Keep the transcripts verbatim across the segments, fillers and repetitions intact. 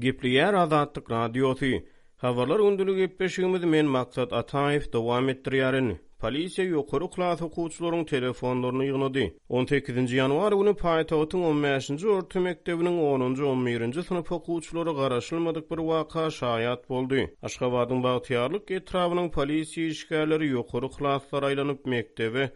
Gepleýär Azatlyk Radiosy. Habarlar gündelik gepleşigimizi men Maksat Ataýew dowam etdirýärin. Polisiýa ýokary klas okuwçylaryň telefonlaryny ýygnady. On sekizinji ýanwar güni paýtagtyň on bäşinji orta mekdebiniň onunjy, on birinji synp okuwçylary garaşylmadyk bir waka şaýat boldy. Aşgabadyň Bagtyýarlyk etrabynyň polisiýa işgärleri ýokary klaslara aýlanyp, mekdebe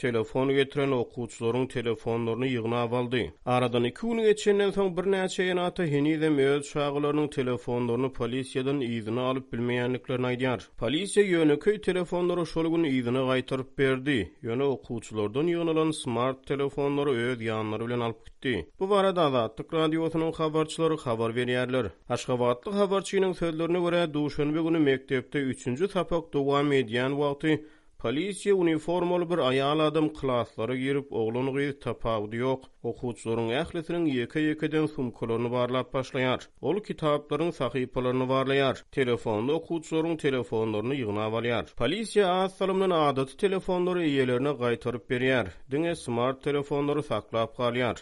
telefon getiren okuwçylaryň telefonlaryny ýygnap aldy. Aradan iki gün geçenden soň birnäçe ene-ata henizem öz çagalarynyň telefonlaryny polisiýadan yzyna alyp bilmeýändiklerini aýdýar. Polisiýa ýönekeý telefonlary şol gün yzyna gaýtaryp berdi, ýöne okuwçylardan ýygnalan smart telefonlary öz ýanlary bilen alyp gitdi. Bu barada Azatlyk Radiosynyň habarçylary habar berýärler. Aşgabatly habarçynyň sözlerine görä, duşenbe güni mekdepde üçünji sapak dowam edýän wagty polisiýa uniformaly bir aýal adam klaslara girip, oglan-gyz tapawudy ýok, okuwçylaryň ählisiniň ýeke-ýekeden sumkalaryny barlap başlaýar. Ol kitaplaryň sahypalaryny barlaýar, telefonda okuwçylaryň telefonlaryny ýygnap alýar. Polisiýa az salymdan adaty telefonlary eýelerine gaýtaryp berýär, diňe smart telefonlary saklap galýar.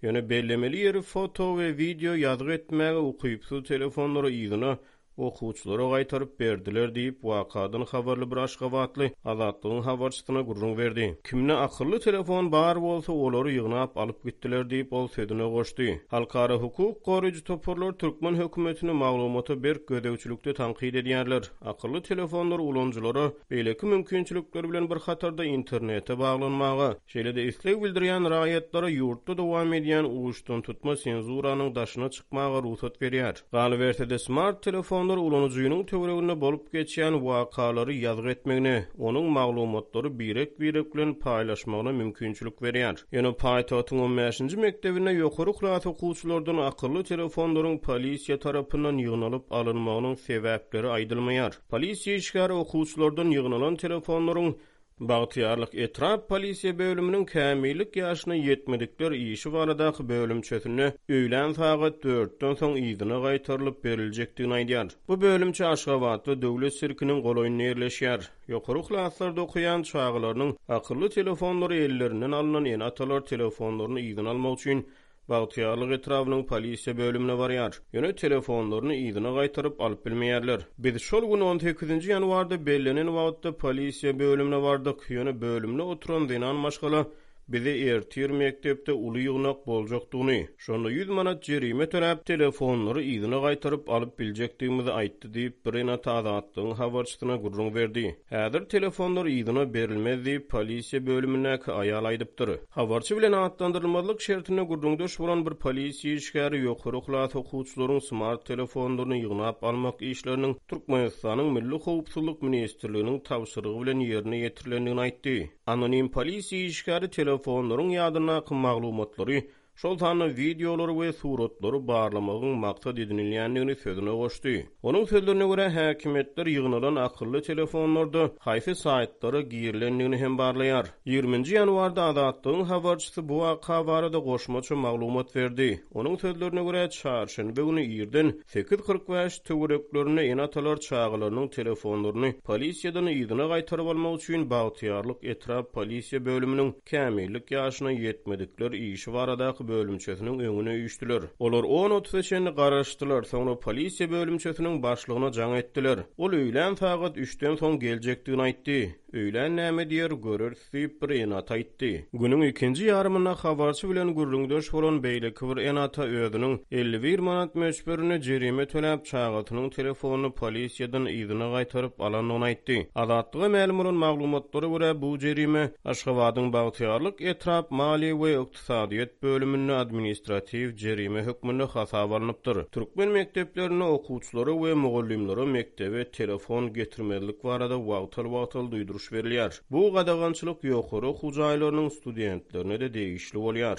Ýöne bellemeli ýeri foto we wideo ýazgy etmäge ukypsyz telefonlary yzyna okuwçylara gaýtaryp berdiler diýip, wakadan habarly bir aşgabatly Azatlygyň habarçysyna gürrüň berdi. Kimde akylly telefon bar bolsa, olary ýygnap alyp gitdiler diýip, ol sözüne goşdy. Halkara hukuk goraýjy toparlar türkmen hökümetini maglumata berk gözegçilikde tankyt edýärler. Akylly telefonlar ulanyjylara beýleki mümkinçilikler bilen bir hatarda internete baglanmaga, şeýle-de isleg bildirýän raýatlara ýurtda dowam edýän uçdantutma senzuranyň daşyna çykmaga rugsat berýär. Galyberse-de, smart telefonlar ulanyjynyň töwereginde bolup geçýän wakalary ýazgy etmegine, onuň maglumatlary birek-birek bilen paýlaşmagyna mümkinçilik berýär. Ýöne paýtagtyň on bäşinji mekdebinde ýokary klas okuwçylardan akylly telefonlaryň polisiýa tarapyndan ýygnalyp alynmagynyň sebäpleri aýdylmaýar. Polisiýa işgäri okuwçylardan ýygnalan telefonlaryň Bagtyýarlyk etrap polisiýa bölüminiň kämillik ýaşyna ýetmedikler işi baradaky bölümçesinde öýlän sagat dörtden soň yzyna gaýtarylyp beriljekdigini aýdýar. Bu bölümçe Aşgabatda Döwlet sirkiniň golaýynda ýerleşýär. Ýokary klaslarda okaýan çagalarynyň akylly telefonlary ellerinden alnan ene-atalar telefonlaryny yzyna almak üçin Bagtyýarlyk etrabynyň polisiýa bölümine barýar. Ýöne telefonlaryny yzyna gaýtaryp alyp bilmeýärler. Biz şol gün on sekizinji ýanwarda bellenen wagtda polisiýa bölümine bardyk. Ýöne bölümde oturan zenan maşgala bize ertir mekdepde uly ýygnak boljakdygyny, şonda ýüz manat jerime töläp, telefonlary yzyna gaýtaryp alyp biljekdigimizi aýtdy diýip, bir ene-ata Azatlygyň habarçysyna gürrüň berdi. Häzir telefonlar yzyna berilmez diýip, polisiýa bölümindäki aýal aýdypdyr. Habarçy bilen atlandyrylmazlyk şertinde gürrüňdeş bolan bir polisiýa işgäri ýokary klas okuwçylaryň smart telefonlaryny ýygnap almak işleriniň Türkmenistanyň Milli howpsuzlyk ministrliginiň tabşyrygy bilen ýerine ýetirilendigini aýtdy. Anonim polisiýa işgäri telefonlaryň ýadyndaky maglumatlary, şol sanda wideolary we suratlary barlamagyň maksat edinilýändigini sözüne goşdy. Onuň sözlerine görä, häkimiýetler ýygnalan akylly telefonlarda haýsy saýtlara girilendigini hem barlaýar. Ýigriminji ýanwarda Azatlygyň habarçysy bu waka barada goşmaça maglumat berdi. Onuň sözlerine görä, çarşenbe güni irden sekiz kyrk bäş töwereklerinde ene-atalar çagalarynyň telefonlaryny polisiýadan yzyna gaýtaryp almak üçin Bagtyýarlyk etrap polisiýa bölüminiň kämillik ýaşyna ýetmedikler işi baradaky bölümçesiniň öňüne üýşdüler. Olar on otuza çenli garaşdylar, soňra polisiýa bölümçesiniň başlygyna jaň etdiler. Ol öýlän sagat üçden soň geljekdigini aýtdy. Öýlän näme diýer, göreris diýip bir ene-ata aýtdy. Günüň ikinji ýarymynda habarçy bilen gürrüňdeş bolan beýleki bir ene-ata özüniň elli bir manat möçberinde jerime töläp, çagasynyň telefonyny polisiýadan yzyna gaýtaryp alandygyny aýtdy. Azatlyga mälim bolan maglumatlara görä, bu jerime Aşgabadyň Bagtyýarlyk etrap maliýe we ykdysadyýet bölüminde administratiw jerime hökmünde hasaba alnypdyr. Türkmen mekdeplerinde okuwçylara we mugallymlara mekdebe telefon getirmezlik barada wagtal-wagtal duýduryş berilýär. Bu gadagançylyk ýokary okuw jaýlarynyň studentlerine-de degişli bolýar.